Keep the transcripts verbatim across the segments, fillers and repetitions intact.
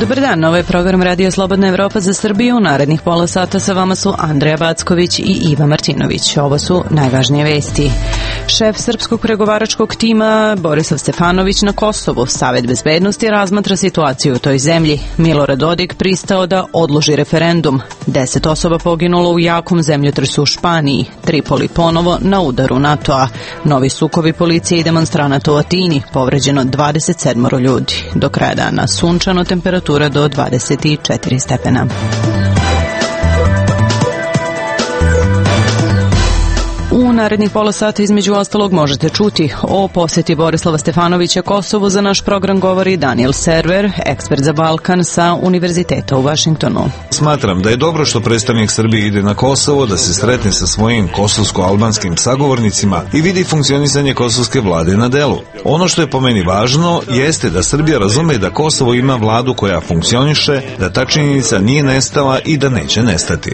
Dobar dan, ovo je program Radio Slobodna Evropa za Srbiju. Narednih pola sata sa vama su Andreja Backović i Iva Martinović. Ovo su najvažnije vesti. Šef srpskog pregovaračkog tima Borislav Stefanović na Kosovu. Savet bezbednosti razmatra situaciju u toj zemlji. Milorad Dodik pristao da odloži referendum. Deset osoba poginulo u jakom zemljotresu u Španiji. Tripoli ponovo na udaru NATO-a. Novi sukobi policije i demonstranata u Atini. Povređeno dvadeset sedam ljudi. Do kraja dana sunčano, temperatura do dvadeset četiri stepena. U narednih pola sata između ostalog možete čuti o posjeti Borislava Stefanovića Kosovu. Za naš program govori Daniel Server, ekspert za Balkan sa Univerziteta u Vašingtonu. Smatram da je dobro što predstavnik Srbije ide na Kosovo, da se sretne sa svojim kosovsko-albanskim sagovornicima i vidi funkcionisanje kosovske vlade na delu. Ono što je po meni važno jeste da Srbija razume da Kosovo ima vladu koja funkcioniše, da ta činjenica nije nestala i da neće nestati.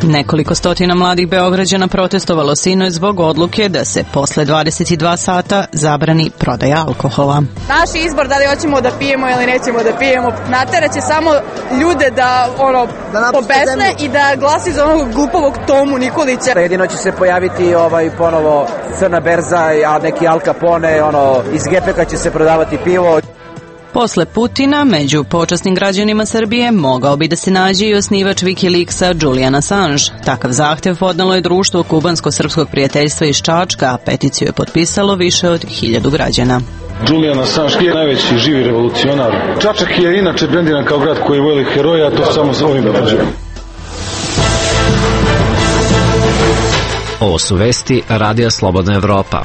Nekoliko stotina mladih Beograđana protestovalo sinoć zbog odluke da se posle dvadeset dva sata zabrani prodaja alkohola. Naš izbor da li hoćemo da pijemo ili nećemo da pijemo nateraće samo ljude da ono da pobesne i da glasi za onog glupovog Tomu Nikolića. Jedino će se pojaviti ovaj ponovo crna berza, a neki Al Capone, ono iz gepeka će se prodavati pivo. Posle Putina, među počasnim građanima Srbije mogao bi da se nađe i osnivač Wikileaksa Julian Assange. Takav zahtev podnelo je društvo Kubansko-srpskog prijateljstva iz Čačka, a peticiju je potpisalo više od hiljadu građana. Julian Assange je najveći živi revolucionar. Čačak je inače brendiran kao grad koji voli heroja, a to samo za ovim da kažem. Ovo su vesti Radija Slobodna Evropa.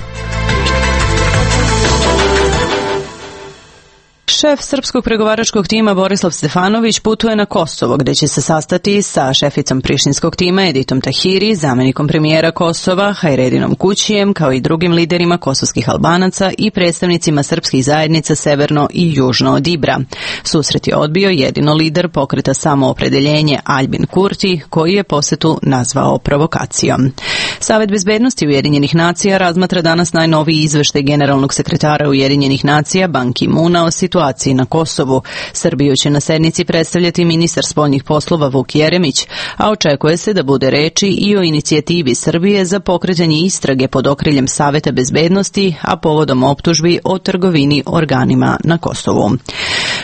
Šef srpskog pregovaračkog tima Borislav Stefanović putuje na Kosovo, gde će se sastati sa šeficom prištinskog tima Editom Tahiri, zamenikom premijera Kosova Hajredinom Kućijem, kao i drugim liderima kosovskih Albanaca i predstavnicima srpskih zajednica severno i južno od Ibra. Susret je odbio jedino lider pokreta Samoopredeljenje Aljbin Kurti, koji je posetu nazvao provokacijom. Savet bezbednosti Ujedinjenih nacija razmatra danas najnoviji izveštaj generalnog sekretara Ujedinjenih nacija Ban Ki-muna o situaciji na Kosovu. Srbiju će na sednici predstavljati ministar spoljnih poslova Vuk Jeremić, a očekuje se da bude reči i o inicijativi Srbije za pokretanje istrage pod okriljem Saveta bezbednosti, a povodom optužbi o trgovini organima na Kosovu.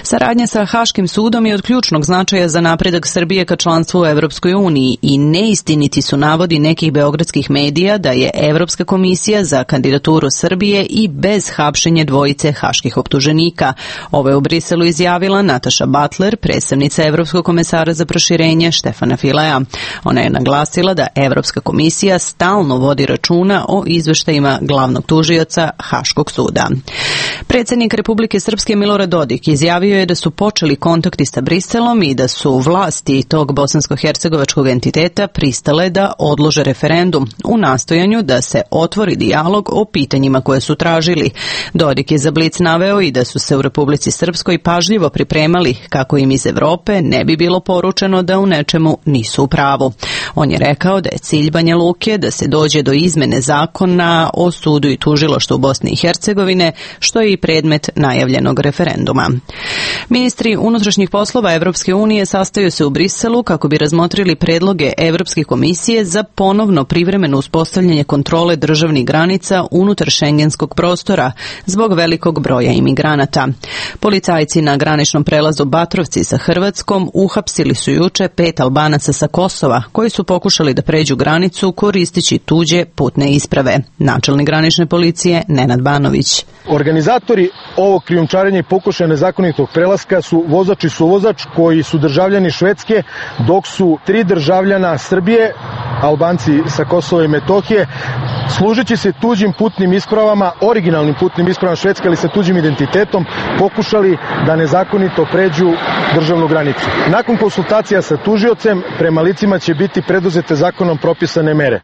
Saradnja sa Haškim sudom je od ključnog značaja za napredak Srbije ka članstvu u Evropskoj uniji i neistiniti su navodi nekih beogradskih medija da je Evropska komisija za kandidaturu Srbije i bez hapšenja dvojice haških optuženika. Ovo je u Briselu izjavila Nataša Butler, predstavnica Evropskog komesara za proširenje Štefana Filea. Ona je naglasila da Evropska komisija stalno vodi računa o izveštajima glavnog tužioca Haškog suda. Predsjednik Republike Srpske Milorad Dodik izjavio je da su počeli kontakti sa Briselom i da su vlasti tog bosansko-hercegovačkog entiteta pristale da odlože referendum u nastojanju da se otvori dijalog o pitanjima koje su tražili. Dodik je za Blic naveo i da su se u Republici Srpskoj pažljivo pripremali kako im iz Evrope ne bi bilo poručeno da u nečemu nisu u pravu. On je rekao da je cilj Banja Luke da se dođe do izmene zakona o sudu i tužilaštvu Bosne i Hercegovine, što je i predmet najavljenog referenduma. Ministri unutrašnjih poslova Evropske unije sastaju se u Briselu kako bi razmotrili predloge Evropske komisije za ponovno privremeno uspostavljanje kontrole državnih granica unutar šengenskog prostora zbog velikog broja imigranata. Policajci na graničnom prelazu Batrovci sa Hrvatskom uhapsili su juče pet Albanaca sa Kosova koji su pokušali da pređu granicu koristeći tuđe putne isprave. Načelnik granične policije Nenad Banović. Organizatori ovog krijumčarenja i pokušaja nezakonitog prelaska su vozač i suvozač koji su državljani Švedske, dok su tri državljana Srbije, Albanci sa Kosova i Metohije, služeći se tuđim putnim ispravama, originalnim putnim ispravama Švedske, ali sa tuđim identitetom, pokušali da nezakonito pređu državnu granicu. Nakon konsultacija sa tužiocem, prema licima će biti preduzete zakonom propisane mere.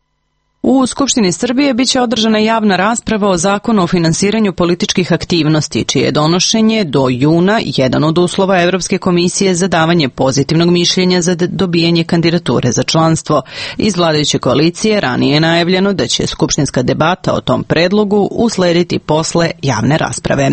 U Skupštini Srbije biće održana javna rasprava o zakonu o finansiranju političkih aktivnosti, čije je donošenje do juna jedan od uslova Evropske komisije za davanje pozitivnog mišljenja za dobijanje kandidature za članstvo. Iz vladajuće koalicije ranije je najavljeno da će skupštinska debata o tom predlogu uslediti posle javne rasprave.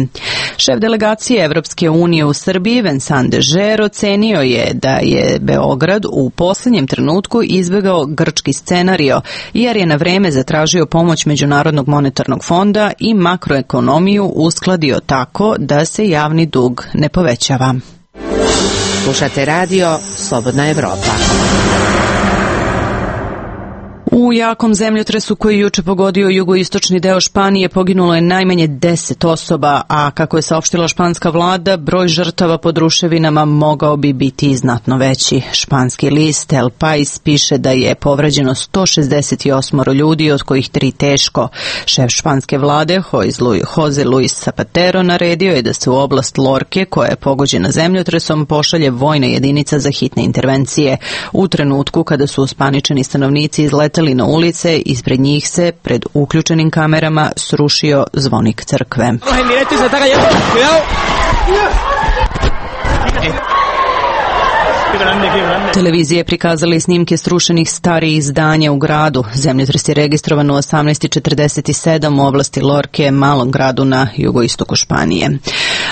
Šef delegacije Evropske unije u Srbiji Vincent de Geer ocenio je da je Beograd u posljednjem trenutku izbjegao grčki scenario jer je na vreme zatražio pomoć Međunarodnog monetarnog fonda i makroekonomiju uskladio tako da se javni dug ne povećava. Slušate radio Slobodna Evropa. U jakom zemljotresu koji juče pogodio jugoistočni deo Španije poginulo je najmanje deset osoba, a kako je saopštila španska vlada, broj žrtava pod ruševinama mogao bi biti znatno veći. Španski list El País piše da je povređeno sto šezdeset osam ljudi, od kojih tri teško. Šef španske vlade, Jose Luis Zapatero, naredio je da se u oblast Lorke, koja je pogođena zemljotresom, pošalje vojna jedinica za hitne intervencije. U trenutku kada su uspaničeni stanovnici izleteli na ulice, ispred njih se pred uključenim kamerama srušio zvonik crkve. Televizije prikazali snimke srušenih starijih zdanja u gradu. Zemljotres je registrovan u osamnaest četrdeset sedam u oblasti Lorke, malom gradu na jugoistoku Španije.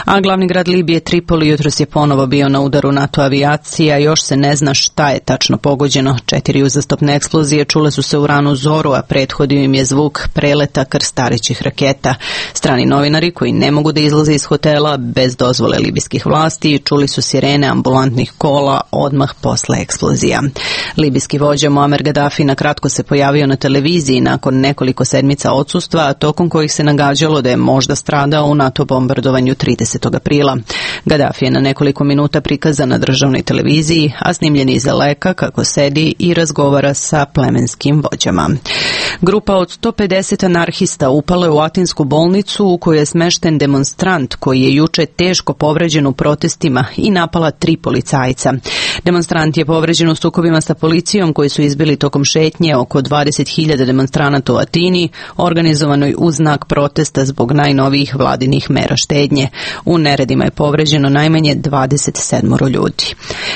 A glavni grad Libije, Tripoli, jutros je ponovo bio na udaru NATO avijacija. Još se ne zna šta je tačno pogođeno. Četiri uzastopne eksplozije čule su se u ranu zoru, a prethodio im je zvuk preleta krstarećih raketa. Strani novinari koji ne mogu da izlaze iz hotela bez dozvole libijskih vlasti čuli su sirene ambulantnih kola odmah posle eksplozija. Libijski vođa Muammar Gaddafi na kratko se pojavio na televiziji nakon nekoliko sedmica odsustva, tokom kojih se nagađalo da je možda stradao u NATO bombardovanju tridesetog aprila. Gaddafi je na nekoliko minuta prikazan na državnoj televiziji, a snimljen iz daleka kako sedi i razgovara sa plemenskim vođama. Grupa od sto pedeset anarhista upala je u atinsku bolnicu u kojoj je smešten demonstrant koji je juče teško povređen u protestima i napala tri policajca. Demonstrant je povređen u sukobima sa policijom koji su izbili tokom šetnje oko dvadeset hiljada demonstranata u Atini, organizovanoj uz znak protesta zbog najnovijih vladinih mera štednje. U neredima je povređeno najmanje dvadeset sedam ljudi.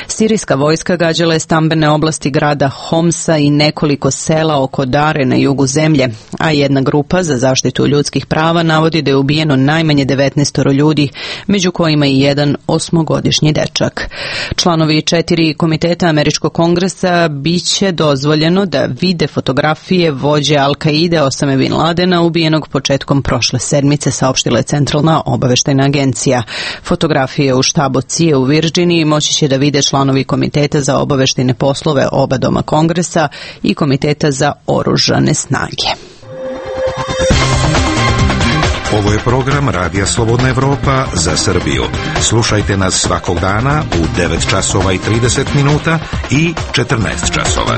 Sirijska vojska gađala je stambene oblasti grada Homsa i nekoliko sela oko Dare na jugu zemlje, a jedna grupa za zaštitu ljudskih prava navodi da je ubijeno najmanje devetnaest ljudi, među kojima i jedan osmogodišnji dečak. Članovi četiri komiteta Američkog kongresa biće dozvoljeno da vide fotografije vođe Al-Kaide Osame Bin Ladena ubijenog početkom prošle sedmice, saopštila je Centralna obaveštajna agencija. Fotografije u štabu C I A u Virginiji moći će da vide članovi komiteta za obaveštajne poslove oba doma kongresa i komiteta za oružane snage. Ovo je program Radija Slobodna Evropa za Srbiju. Slušajte nas svakog dana u devet časova i trideset minuta i četrnaest časova.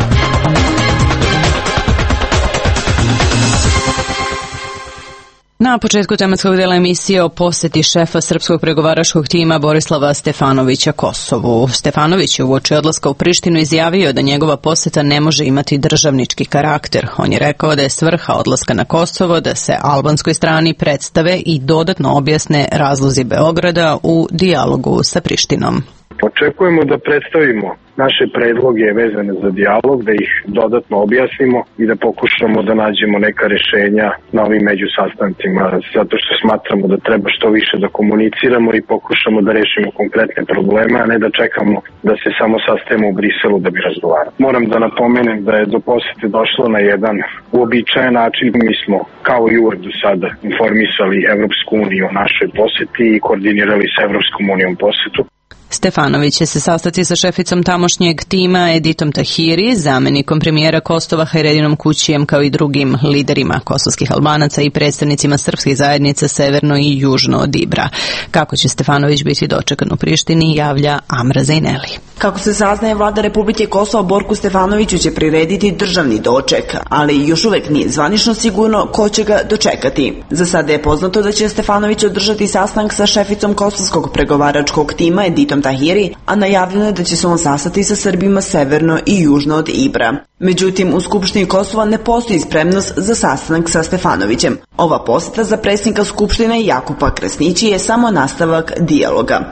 Na početku tematskog dela emisije o poseti šefa srpskog pregovaračkog tima Borislava Stefanovića Kosovu. Stefanović je uoči odlaska u Prištinu izjavio da njegova poseta ne može imati državnički karakter. On je rekao da je svrha odlaska na Kosovo da se albanskoj strani predstave i dodatno objasne razlozi Beograda u dijalogu sa Prištinom. Očekujemo da predstavimo naše predloge vezane za dijalog, da ih dodatno objasnimo i da pokušamo da nađemo neka rešenja na ovim međusastancima, zato što smatramo da treba što više da komuniciramo i pokušamo da rešimo konkretne probleme, a ne da čekamo da se samo sastajemo u Briselu da bi razgovarali. Moram da napomenem da je do posete došlo na jedan uobičajen način. Mi smo kao i uvek do sada informisali Evropsku uniju o našoj poseti i koordinirali sa Evropskom unijom posetu. Stefanović će se sastati sa šeficom tamošnjeg tima Editom Tahiri, zamenikom premijera Kosova Hajredinom Kućijem, kao i drugim liderima kosovskih Albanaca i predstavnicima srpskih zajednica severno i južno od Ibra. Kako će Stefanović biti dočekan u Prištini, javlja Amra Zajneli. Kako se saznaje, vlada Republike Kosovo Borku Stefanoviću će prirediti državni doček, ali još uvek nije zvanično sigurno ko će ga dočekati. Za sada je poznato da će Stefanović održati sastanak sa šeficom kosovskog pregovaračkog tima Editom Tahiri, a najavljeno je da će se on sastati sa Srbima severno i južno od Ibra. Međutim, u Skupštini Kosova ne postoji spremnost za sastanak sa Stefanovićem. Ova poseta za predsjednika Skupštine Jakupa Krasnići je samo nastavak dijaloga.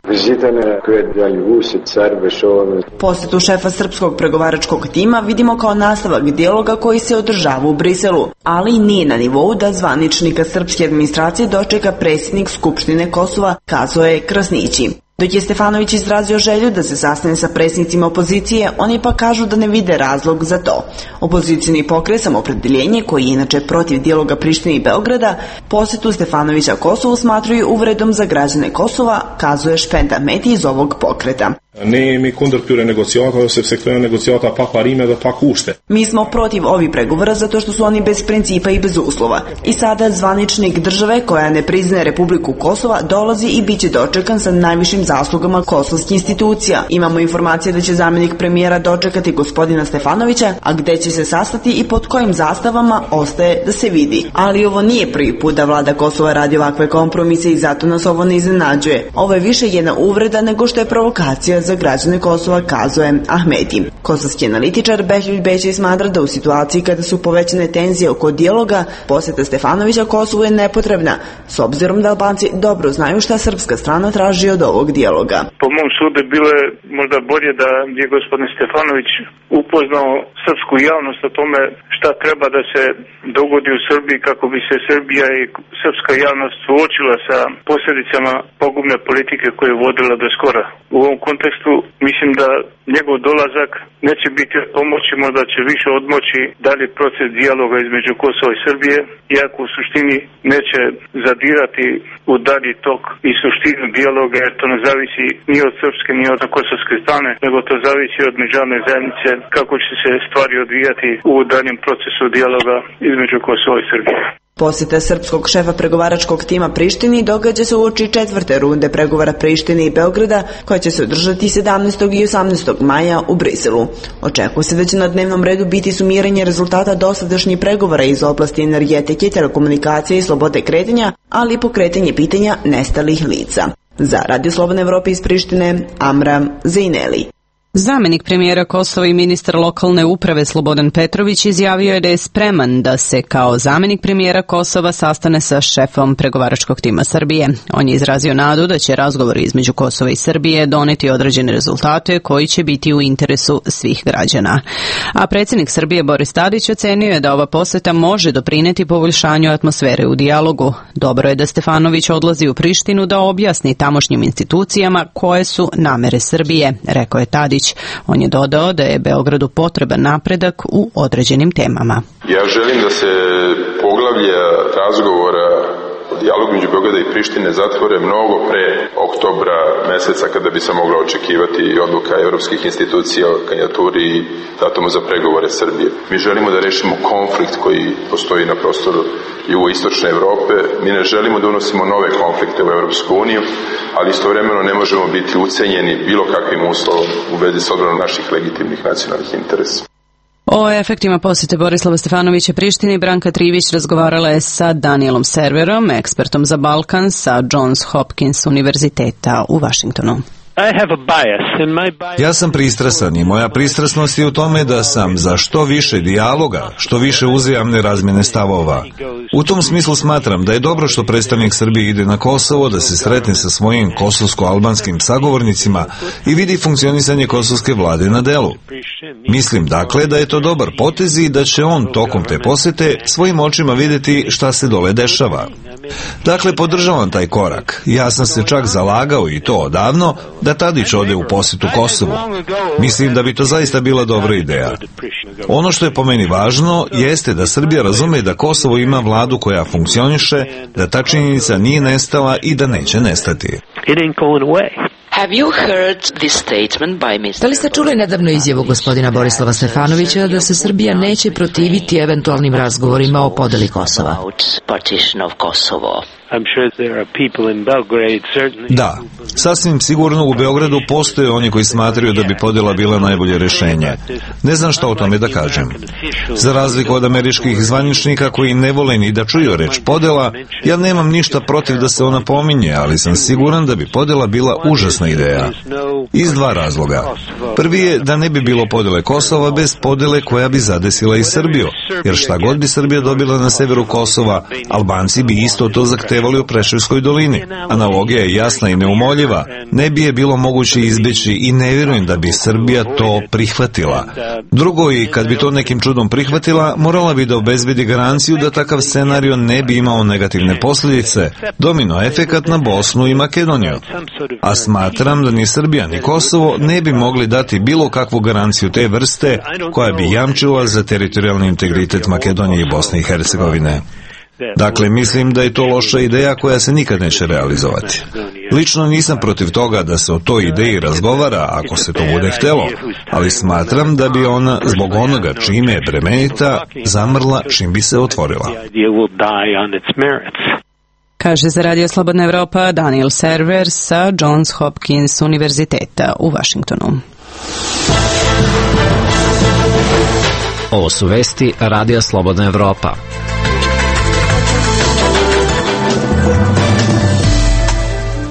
Posetu šefa srpskog pregovaračkog tima vidimo kao nastavak dijaloga koji se održava u Briselu, ali nije na nivou da zvaničnika srpske administracije dočeka predsjednik Skupštine Kosova, kazao je Krasnići. Dok je Stefanović izrazio želju da se sastane sa predsjednicima opozicije, oni pa kažu da ne vide razlog za to. Opozicijni pokret Samoopredjeljenje, koji je inače protiv dijaloga Prištine i Beograda, posetu Stefanovića Kosovu smatruju uvredom za građane Kosova, kazuje Shpend Ahmeti iz ovog pokreta. Mi smo protiv ovih pregovora zato što su oni bez principa i bez uslova. I sada zvaničnik države koja ne priznaje Republiku Kosova dolazi i bit će dočekan sa najvišim zaslugama kosovskih institucija. Imamo informacije da će zamjenik premijera dočekati gospodina Stefanovića, a gde će se sastati i pod kojim zastavama ostaje da se vidi. Ali ovo nije prvi put da vlada Kosova radi ovakve kompromise i zato nas ovo ne iznenađuje. Ovo je više jedna uvreda nego što je provokacija za građane Kosova, kazuje Ahmeti. Kosovski analitičar Behljuj Bećej smatra da u situaciji kada su povećane tenzije oko dijaloga, poseta Stefanovića Kosovu je nepotrebna, s obzirom da Albanci dobro znaju šta srpska strana traži od ovog dijaloga. Po mom sudu bilo je možda bolje da je gospodin Stefanović upoznao srpsku javnost o tome šta treba da se dogodi u Srbiji kako bi se Srbija i srpska javnost suočila sa posljedicama pogubne politike koje je vodila do skora. U ovom kontekstu mislim da njegov dolazak neće biti od pomoći, možda će više odmoći dalje proces dijaloga između Kosova i Srbije, iako u suštini neće zadirati u dalji tok i suštinu dijaloga, jer to ne zavisi ni od srpske ni od kosovske strane, nego to zavisi od međunarodne zajednice kako će se stvari odvijati u daljem procesu dijaloga između Kosova i Srbije. Posjeta srpskog šefa pregovaračkog tima Prištini događa se uoči četvrte runde pregovora Prištine i Beograda, koja će se održati sedamnaestog i osamnaestog maja u Briselu. Očekuje se da će na dnevnom redu biti sumiranje rezultata dosadašnjih pregovora iz oblasti energetike, telekomunikacije i slobode kretanja, ali i pokretanje pitanja nestalih lica. Za Radio Slobodne Evrope iz Prištine, Amra Zejneli. Zamjenik premijera Kosova i ministar lokalne uprave Slobodan Petrović izjavio je da je spreman da se kao zamjenik premijera Kosova sastane sa šefom pregovaračkog tima Srbije. On je izrazio nadu da će razgovori između Kosova i Srbije doneti određene rezultate koji će biti u interesu svih građana. A predsjednik Srbije Boris Tadić ocenio je da ova poseta može doprineti poboljšanju atmosfere u dijalogu. Dobro je da Stefanović odlazi u Prištinu da objasni tamošnjim institucijama koje su namere Srbije, rekao je Tadić. On je dodao da je Beogradu potreban napredak u određenim temama. Ja želim da se poglavlja razgovora o dijalogu među Beograda i Prištine zatvore mnogo pre oktobra meseca, kada bi se mogla očekivati odluka evropskih institucija o kandidaturi i datumu za pregovore Srbije. Mi želimo da rešimo konflikt koji postoji na prostoru jugoistočne Evrope. Mi ne želimo da unosimo nove konflikte u Evropsku uniju, ali istovremeno ne možemo biti ucenjeni bilo kakvim uslovom u vezi s odbranom naših legitimnih nacionalnih interesa. O efektima posjete Borislava Stefanovića Prištini Branka Trivić razgovarala je sa Danielom Serverom, ekspertom za Balkan sa Johns Hopkins univerziteta u Washingtonu. Ja sam pristrasan i moja pristrasnost je u tome da sam za što više dijaloga, što više uzajamne razmjene stavova. U tom smislu smatram da je dobro što predstavnik Srbije ide na Kosovo, da se sretne sa svojim kosovsko-albanskim sagovornicima i vidi funkcionisanje kosovske vlade na delu. Mislim dakle da je to dobar potez i da će on tokom te posete svojim očima vidjeti šta se dole dešava. Dakle, podržavam taj korak. Ja sam se čak zalagao i to odavno da Tadić ode u posjetu Kosovu. Mislim da bi to zaista bila dobra ideja. Ono što je po meni važno jeste da Srbija razume da Kosovo ima vladu koja funkcioniše, da ta činjenica nije nestala i da neće nestati. Da li ste čuli nedavno izjavu gospodina Borislava Stefanovića da se Srbija neće protiviti eventualnim razgovorima o podeli Kosova? Da, sasvim sigurno u Beogradu postoje oni koji smatraju da bi podjela bila najbolje rješenje. Ne znam šta o tome da kažem. Za razliku od američkih zvaničnika koji ne vole ni da čuju reč podjela, ja nemam ništa protiv da se ona pominje, ali sam siguran da bi podjela bila užasna ideja. Iz dva razloga. Prvi je da ne bi bilo podjele Kosova bez podjele koja bi zadesila i Srbiju, jer šta god bi Srbija dobila na severu Kosova, Albanci bi isto to zahtevali u Preševskoj dolini. Analogija je jasna i neumoljiva. Ne bi je bilo moguće izbjeći i ne vjerujem da bi Srbija to prihvatila. Drugo, i kad bi to nekim čudom prihvatila, morala bi da obezbedi garanciju da takav scenario ne bi imao negativne posljedice, domino efekat na Bosnu i Makedoniju. A smatram da ni Srbija ni Kosovo ne bi mogli dati bilo kakvu garanciju te vrste koja bi jamčila za teritorijalni integritet Makedonije i Bosne i Hercegovine. Dakle, mislim da je to loša ideja koja se nikad neće realizovati. Lično nisam protiv toga da se o toj ideji razgovara ako se to bude htjelo, ali smatram da bi ona, zbog onoga čime je bremenita, zamrla čim bi se otvorila. Kaže za Radio Slobodna Evropa Daniel Server sa Johns Hopkins univerziteta u Vašingtonu. Ovo su vesti Radija Slobodna Evropa.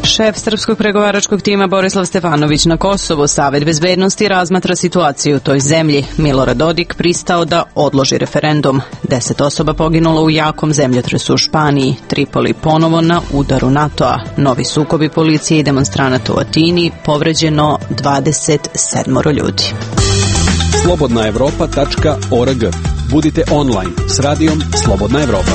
Šef srpskog pregovaračkog tima Borislav Stefanović na Kosovu, Savet bezbednosti razmatra situaciju u toj zemlji. Milorad Dodik pristao da odloži referendum. Deset osoba poginulo u jakom zemljotresu u Španiji. Tripoli ponovo na udaru NATO-a. Novi sukobi policije i demonstranata u Atini, povređeno dvadeset sedam ljudi. slobodna evropa tačka org. Budite online s radijom Slobodna Evropa.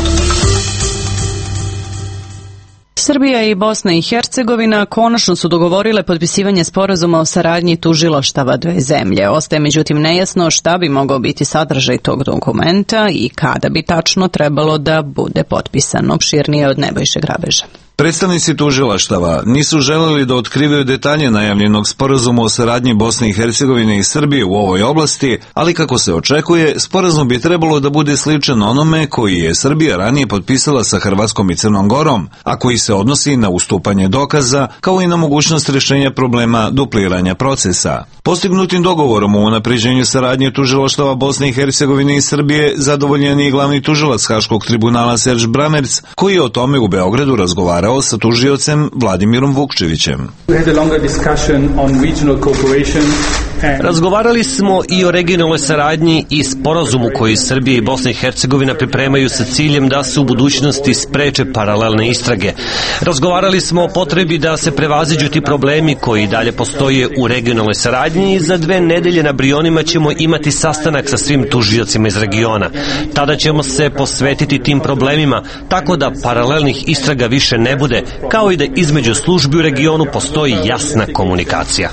Srbija i Bosna i Hercegovina konačno su dogovorile potpisivanje sporazuma o saradnji tužilaštava dve zemlje. Ostaje međutim nejasno šta bi mogao biti sadržaj tog dokumenta i kada bi tačno trebalo da bude potpisan. Opširnije od Nebojše Grabeža. Predstavnici tužilaštava nisu želeli da otkrivaju detalje najavljenog sporazuma o saradnji Bosne i Hercegovine i Srbije u ovoj oblasti, ali kako se očekuje, sporazum bi trebalo da bude sličan onome koji je Srbija ranije potpisala sa Hrvatskom i Crnom Gorom, a koji se odnosi na ustupanje dokaza, kao i na mogućnost rješenja problema dupliranja procesa. Postignutim dogovorom o unapređenju saradnje tužilaštava Bosne i Hercegovine i Srbije zadovoljen je i glavni tužilac Haškog tribunala Serž Bramerc, koji je o tome u Beogradu razgovarao sa tužiocem Vladimirom Vukčevićem. Razgovarali smo i o regionalnoj saradnji i sporazumu koji Srbija i Bosna i Hercegovina pripremaju sa ciljem da se u budućnosti spreče paralelne istrage. Razgovarali smo o potrebi da se prevaziđu ti problemi koji dalje postoje u regionalnoj saradnji i za dve nedelje na Brionima ćemo imati sastanak sa svim tužiocima iz regiona. Tada ćemo se posvetiti tim problemima tako da paralelnih istraga više ne bude, kao i da između službi u regionu postoji jasna komunikacija.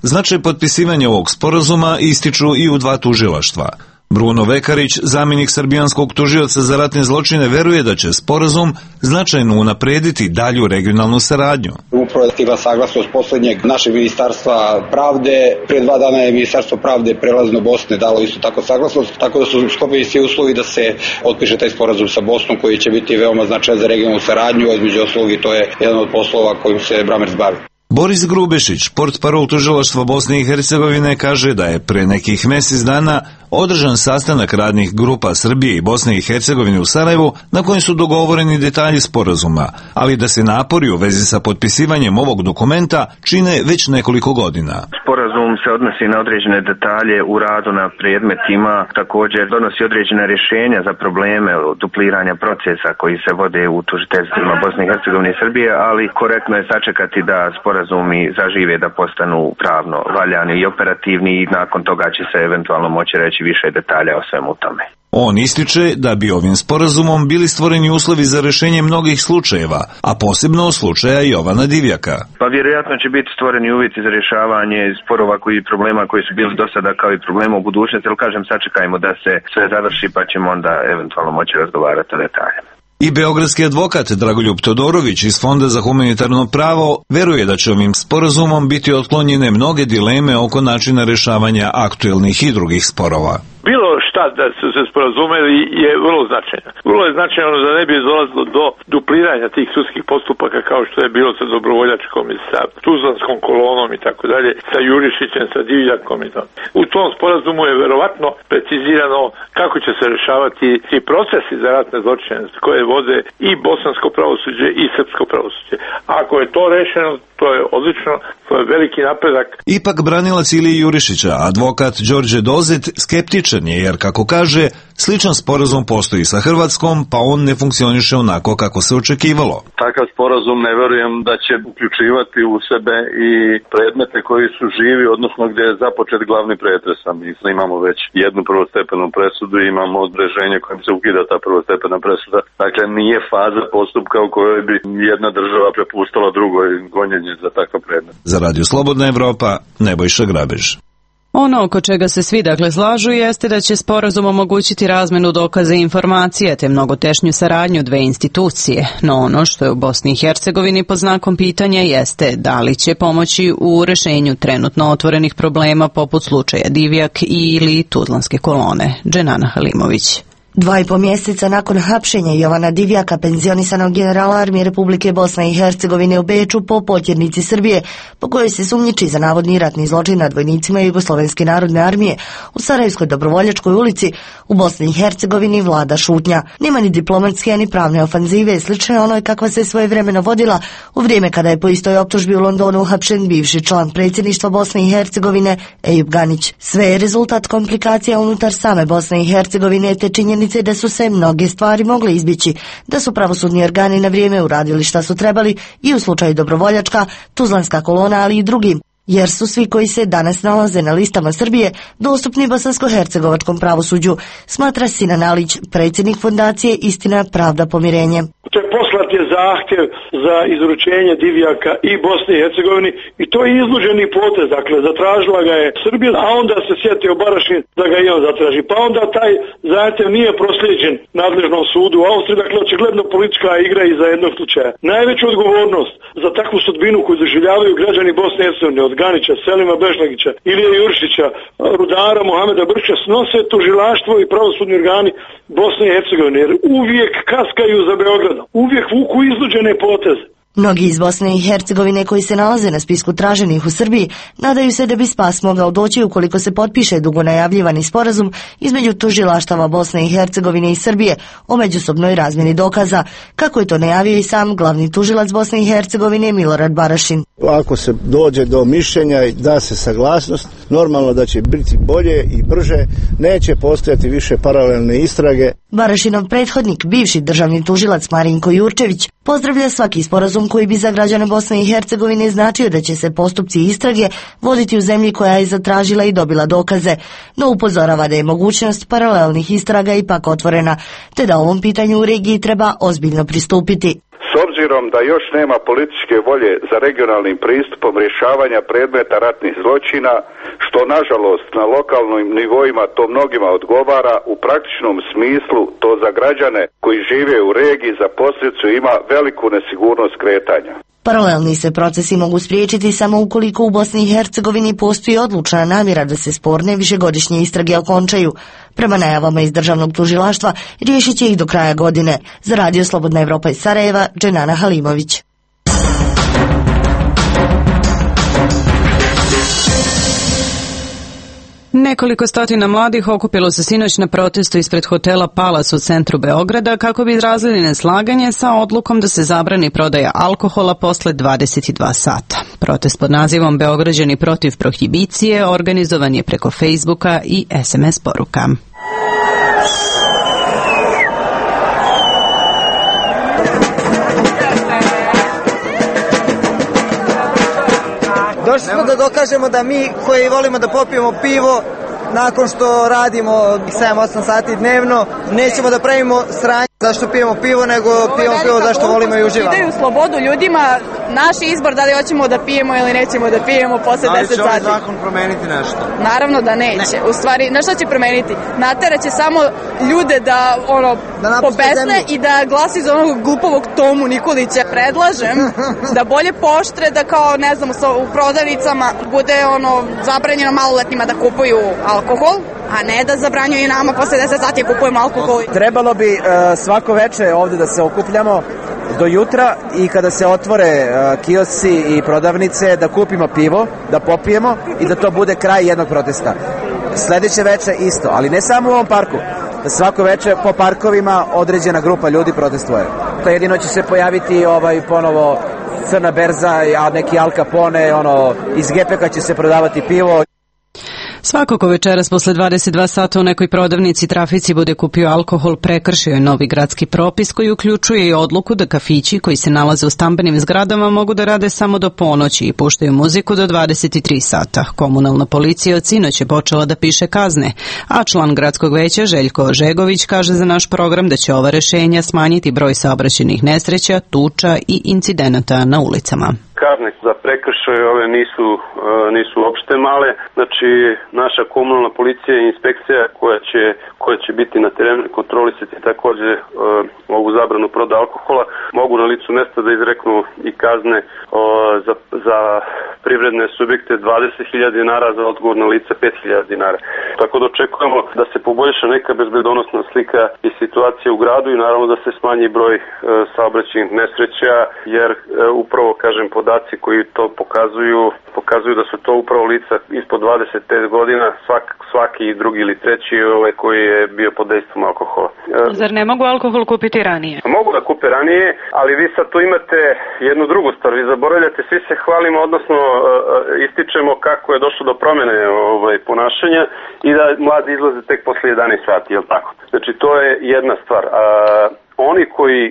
Značaj potpisivanja ovog sporazuma ističu i u dva tužilaštva. Bruno Vekarić, zamjenik srbijanskog tužioca za ratne zločine, veruje da će sporazum značajno unaprediti dalju regionalnu saradnju. Upravo je stigla saglasnost posljednjeg našeg ministarstva pravde. Prije dva dana je ministarstvo pravde prelazno Bosne dalo isto tako saglasnost, tako da su sklopljeni svi uslovi da se otpiše taj sporazum sa Bosnom koji će biti veoma značajan za regionalnu saradnju, između ostalog i to je jedan od poslova kojim se Bramerc bavi. Boris Grubešić, portparol tužilaštva Bosne i Hercegovine, kaže da je pre nekih mjesec dana održan sastanak radnih grupa Srbije i Bosne i Hercegovine u Sarajevu na kojem su dogovoreni detalji sporazuma, ali da se napori u vezi sa potpisivanjem ovog dokumenta čine već nekoliko godina. Sporazum se odnosi na određene detalje u radu na predmetima, također donosi određene rješenja za probleme dupliranja procesa koji se vode u tužiteljstvima Bosne i Hercegovine i Srbije, ali korektno je sačekati da sporazumi zažive, da postanu pravno valjani i operativni i nakon toga će se eventualno moći reći više detalja o svemu tome. On ističe da bi ovim sporazumom bili stvoreni uslovi za rješenje mnogih slučajeva, a posebno slučaja Jovana Divjaka. Pa vjerojatno će biti stvoreni uvjeti za rješavanje sporova koji problema koji su bili do sada kao i problema u budućnosti, ali kažem sačekajmo da se sve završi pa ćemo onda eventualno moći razgovarati o detaljima. I beogradski advokat Dragoljub Todorović iz Fonda za humanitarno pravo veruje da će ovim sporazumom biti otklonjene mnoge dileme oko načina rješavanja aktuelnih i drugih sporova. Bilo šta da su se sporazumeli je vrlo značajno. Vrlo je značajno da ne bi dolazilo do dupliranja tih sudskih postupaka kao što je bilo sa Dobrovoljačkom i sa Tuzlanskom kolonom i tako dalje, sa Jurišićem, sa Divljakom i to. U tom sporazumu je verovatno precizirano kako će se rešavati ti procesi za ratne zločine koje vode i bosansko pravosuđe i srpsko pravosuđe. Ako je to rešeno, to je odlično, to je veliki napredak. Ipak branilac Ilije Jurišića, advokat Đorđe Dozet, skeptičan je jer, kako kaže, sličan sporazum postoji sa Hrvatskom, pa on ne funkcioniše onako kako se očekivalo. Takav sporazum ne verujem da će uključivati u sebe i predmete koji su živi, odnosno gdje je započet glavni pretres. Mi imamo već jednu prvostepenu presudu i imamo određenje kojim se ukida ta prvostepena presuda. Dakle, nije faza postupka u kojoj bi jedna država prepustila drugoj gonjenje za takav predmet. Za Radio Slobodna Evropa, Nebojša Grabež. Ono oko čega se svi dakle slažu jeste da će sporazum omogućiti razmenu dokaza i informacija te mnogo tešnju saradnju dve institucije, no ono što je u Bosni i Hercegovini pod znakom pitanja jeste da li će pomoći u rešenju trenutno otvorenih problema poput slučaja Divjak ili Tuzlanske kolone. Dženana Halimović. Dva i po mjeseca nakon hapšenja Jovana Divjaka, penzionisanog generala armije Republike Bosne i Hercegovine u Beču po potjernici Srbije, po kojoj se sumnjiči za navodni ratni zločin nad vojnicima Jugoslovenske narodne armije u Sarajevskoj Dobrovoljačkoj ulici, u Bosni i Hercegovini vlada šutnja. Nema ni diplomatske ni pravne ofanzive, slične onoj kakva se svojevremeno vodila u vrijeme kada je po istoj optužbi u Londonu uhapšen bivši član predsjedništva Bosne i Hercegovine Ejub Ganić. Sve je rezultat komplikacija unutar same Bosne i Hercegovine te činjenice da su se mnoge stvari mogle izbjeći, da su pravosudni organi na vrijeme uradili šta su trebali i u slučaju Dobrovoljačka, Tuzlanska kolona, ali i drugim, jer su svi koji se danas nalaze na listama Srbije dostupni bosansko-hercegovačkom pravosuđu, smatra Sinan Alić, predsjednik fondacije Istina, pravda, pomirenje. Poslat je zahtjev za izručenje Divjaka i Bosni i Hercegovini i to je iznuđeni potez, dakle zatražila ga je Srbija, a onda se sjetio Barašin da ga i on zatraži. Pa onda taj zahtjev nije proslijeđen nadležnom sudu u Austriji, dakle očigledno politička igra iza jednog slučaja. Najveću odgovornost za takvu sudbinu koju doživljavaju građani Bosne i Hercegovine od Ganića, Selima Bežlagića, Ilije Jurišića, rudara Mohameda Brčića snose tužilaštvo i pravosudni organi Bosne i Hercegovine, jer uvijek kaskaju za Beogradom, uvijek vuku iznuđene poteze. Mnogi iz Bosne i Hercegovine koji se nalaze na spisku traženih u Srbiji nadaju se da bi spas mogao doći ukoliko se potpiše dugo najavljivani sporazum između tužilaštava Bosne i Hercegovine i Srbije o međusobnoj razmjeni dokaza, kako je to najavio i sam glavni tužilac Bosne i Hercegovine Milorad Barašin. Ako se dođe do mišljenja i da se saglasnost, normalno da će biti bolje i brže, neće postojati više paralelne istrage. Barašinov prethodnik, bivši državni tužilac Marinko Jurčević, pozdravlja svaki sporazum koji bi za građane Bosne i Hercegovine značio da će se postupci istrage voditi u zemlji koja je zatražila i dobila dokaze, no upozorava da je mogućnost paralelnih istraga ipak otvorena, te da ovom pitanju u regiji treba ozbiljno pristupiti. S obzirom da još nema političke volje za regionalnim pristupom rješavanja predmeta ratnih zločina, što nažalost na lokalnim nivoima to mnogima odgovara, u praktičnom smislu to za građane koji žive u regiji za posljedicu ima veliku nesigurnost kretanja. Paralelni se procesi mogu spriječiti samo ukoliko u Bosni i Hercegovini postoji odlučna namjera da se sporne višegodišnje istrage okončaju. Prema najavama iz državnog tužilaštva riješit će ih do kraja godine. Za Radio Slobodna Evropa iz Sarajeva, Dženana Halimović. Nekoliko stotina mladih okupilo se sinoć na protestu ispred hotela Palace u centru Beograda kako bi izrazili neslaganje sa odlukom da se zabrani prodaja alkohola posle dvadeset dva sata. Protest pod nazivom Beograđani protiv prohibicije organizovan je preko Facebooka i es em es poruka. Došli smo da dokažemo da mi koji volimo da popijemo pivo nakon što radimo sedam osam sati dnevno, nećemo da pravimo sranje zašto pijemo pivo, nego pijemo pivo zašto volimo i uživamo. Daju slobodu ljudima, naš izbor da li hoćemo da pijemo ili nećemo da pijemo posle deset sati. Ali će ovaj zakon promeniti nešto? Naravno da neće. Ne. U stvari, na što će promeniti? Nateraće samo ljude da ono da pobesne i da glasi za onog glupovog Tomu Nikolića. Predlažem da bolje poštre, da kao, ne znam, u prodavnicama bude ono zabranjeno maloletnima da kupuju alkohol, a ne da zabranjuju nama posle deset sati kupujemo alkohol. Trebalo bi uh, svako veče ovde da se okupljamo do jutra i kada se otvore uh, kiosci i prodavnice da kupimo pivo, da popijemo i da to bude kraj jednog protesta. Sledeće veče isto, ali ne samo u ovom parku, da svako veče po parkovima određena grupa ljudi protestuje. To jedino će se pojaviti ovaj ponovo crna berza, a neki Al Capone, ono, iz gepeka će se prodavati pivo. Svako ko večeras posle dvadeset dva sata u nekoj prodavnici trafici bude kupio alkohol prekršio je novi gradski propis koji uključuje i odluku da kafići koji se nalaze u stambenim zgradama mogu da rade samo do ponoći i puštaju muziku do dvadeset tri sata. Komunalna policija od sinoć je počela da piše kazne, a član gradskog veća Željko Ožegović kaže za naš program da će ova rešenja smanjiti broj saobraćajnih nesreća, tuča i incidenata na ulicama. Kazne za prekršaje ove nisu, nisu uopšte male, znači naša komunalna policija i inspekcija koja će, koja će biti na terenu kontrolisati također uh, ovu zabranu prodaje alkohola, mogu na licu mesta da izreknu i kazne uh, za, za privredne subjekte dvadeset hiljada dinara, za odgovorna lica pet hiljada dinara. Tako da očekujemo da se poboljša neka bezbedonosna slika i situacija u gradu i naravno da se smanji broj uh, saobraćajnih nesreća, jer uh, upravo, kažem, podaci koji to pokazuju, pokazuju da su to upravo lica ispod dvadeset pet godina, svak, svaki drugi ili treći ovaj koji je bio pod dejstvom alkohola. Zar ne mogu alkohol kupiti ranije? Mogu da kupe ranije, ali vi sad tu imate jednu drugu stvar, vi zaboravljate, svi se hvalimo, odnosno uh, ističemo kako je došlo do promjene ovaj, ponašanja i da mladi izlaze tek posle jedanaest sati, je li tako? Znači to je jedna stvar. A, oni koji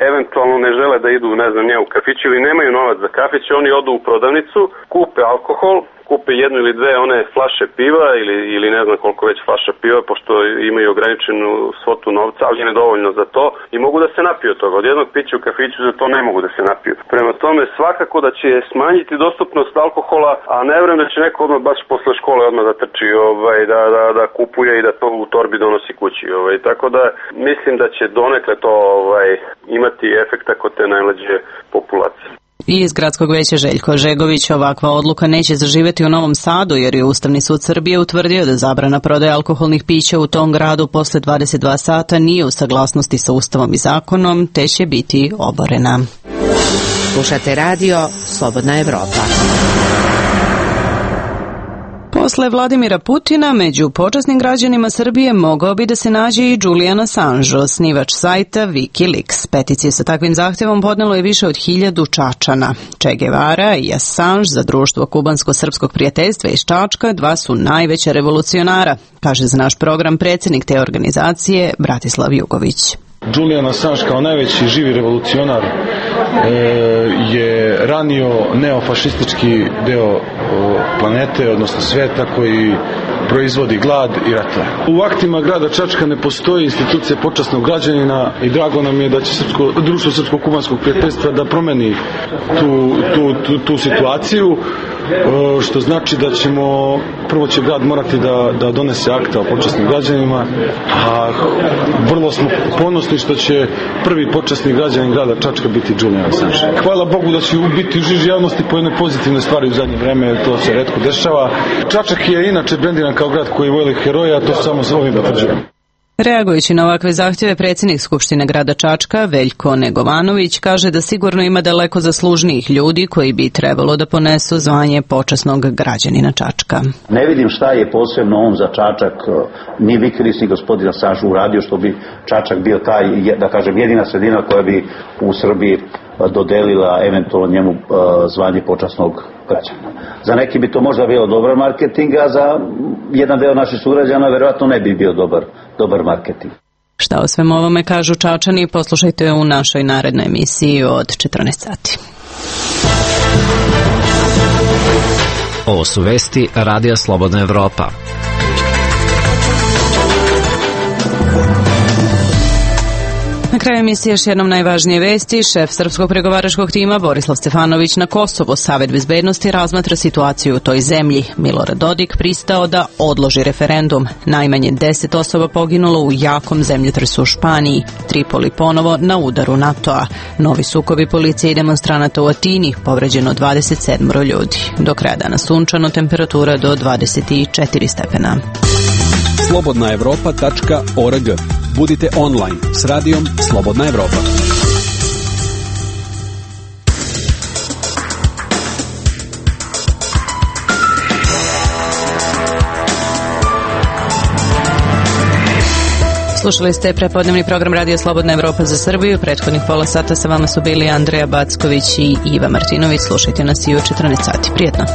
eventualno ne žele da idu, ne znam, nije u kafić ili nemaju novac za kafić, oni odu u prodavnicu, kupe alkohol, kupe jednu ili dve one flaše piva ili, ili ne znam koliko već flaša piva, pošto imaju ograničenu svotu novca, ali ne dovoljno za to i mogu da se napiju od toga. Od jednog pića u kafiću za to ne mogu da se napiju. Prema tome svakako da će smanjiti dostupnost alkohola, a ne vjerujem da će neko odmah baš posle škole odmah da trči, ovaj, da, da, da kupuje i da to u torbi donosi kući. Ovaj. Tako da mislim da će donekle to ovaj, imati efekta kod te najmlađe populacije. I iz gradskog veća Željko Ožegović ovakva odluka neće zaživeti u Novom Sadu jer je Ustavni sud Srbije utvrdio da zabrana prodaje alkoholnih pića u tom gradu posle dvadeset dva sata nije u saglasnosti sa Ustavom i zakonom, te će biti oborena. Slušate radio Slobodna Evropa. Posle Vladimira Putina, među počasnim građanima Srbije mogao bi da se nađe i Julian Assange, osnivač sajta Wikileaks. Peticije sa takvim zahtevom podnelo je više od hiljadu Čačana. Che Guevara i Assange za društvo kubansko-srpskog prijateljstva iz Čačka dva su najveća revolucionara, kaže za naš program predsjednik te organizacije Bratislav Jugović. Julian Assange kao najveći živi revolucionar e, je ranio neofašistički deo planete, odnosno sveta koji proizvodi glad i ratove. U aktima grada Čačka ne postoji institucija počasnog građanina i drago nam je da će srpsko, društvo srpsko-kubanskog prijateljstva da promeni tu, tu, tu, tu situaciju, što znači da ćemo, prvo će grad morati da, da donese akta o počasnim građanima, a vrlo smo ponosni što će prvi počasni građanin grada Čačka biti Julian Assange. Hvala Bogu da će biti u žiži javnosti po jedne pozitivne stvari u zadnje vreme, to se retko dešava. Čačak je inače brendiran kao grad koji voli heroja, to samo s ovim potvrđujem. Reagujući na ovakve zahtjeve, predsjednik Skupštine grada Čačka, Veljko Negovanović, kaže da sigurno ima daleko zaslužnijih ljudi koji bi trebalo da ponesu zvanje počasnog građanina Čačka. Ne vidim šta je posebno on za Čačak, ni Wikileaks ni gospodin Assange uradio što bi Čačak bio taj, da kažem, jedina sredina koja bi u Srbiji dodelila eventualno njemu zvanje počasnog građana. Za neki bi to možda bio dobar marketing, a za jedan deo naših sugrađana verovatno ne bi bio dobar, dobar marketing. Šta o svem ovome kažu Čačani, poslušajte u našoj narednoj emisiji od četrnaest sati. Ovo su vesti Radija Slobodna Evropa. Na kraju emisije još jednom najvažnije vesti. Šef srpskog pregovaračkog tima Borislav Stefanović na Kosovo. Savet bezbednosti razmatra situaciju u toj zemlji. Milorad Dodik pristao da odloži referendum. Najmanje deset osoba poginulo u jakom zemljotresu u Španiji. Tripoli ponovo na udaru NATO-a. Novi sukobi policije i demonstranata u Atini. Povređeno dvadeset sedam ljudi. Do kraja dana sunčano, temperatura do dvadeset četiri stepena. slobodna evropa tačka org. Budite online s radijom Slobodna Evropa. Slušali ste prepodnevni program Radio Slobodna Evropa za Srbiju. Prethodnih pola sata sa vama su bili Andreja Backović i Iva Martinović. Slušajte nas i u četrnaest sati. Prijetno.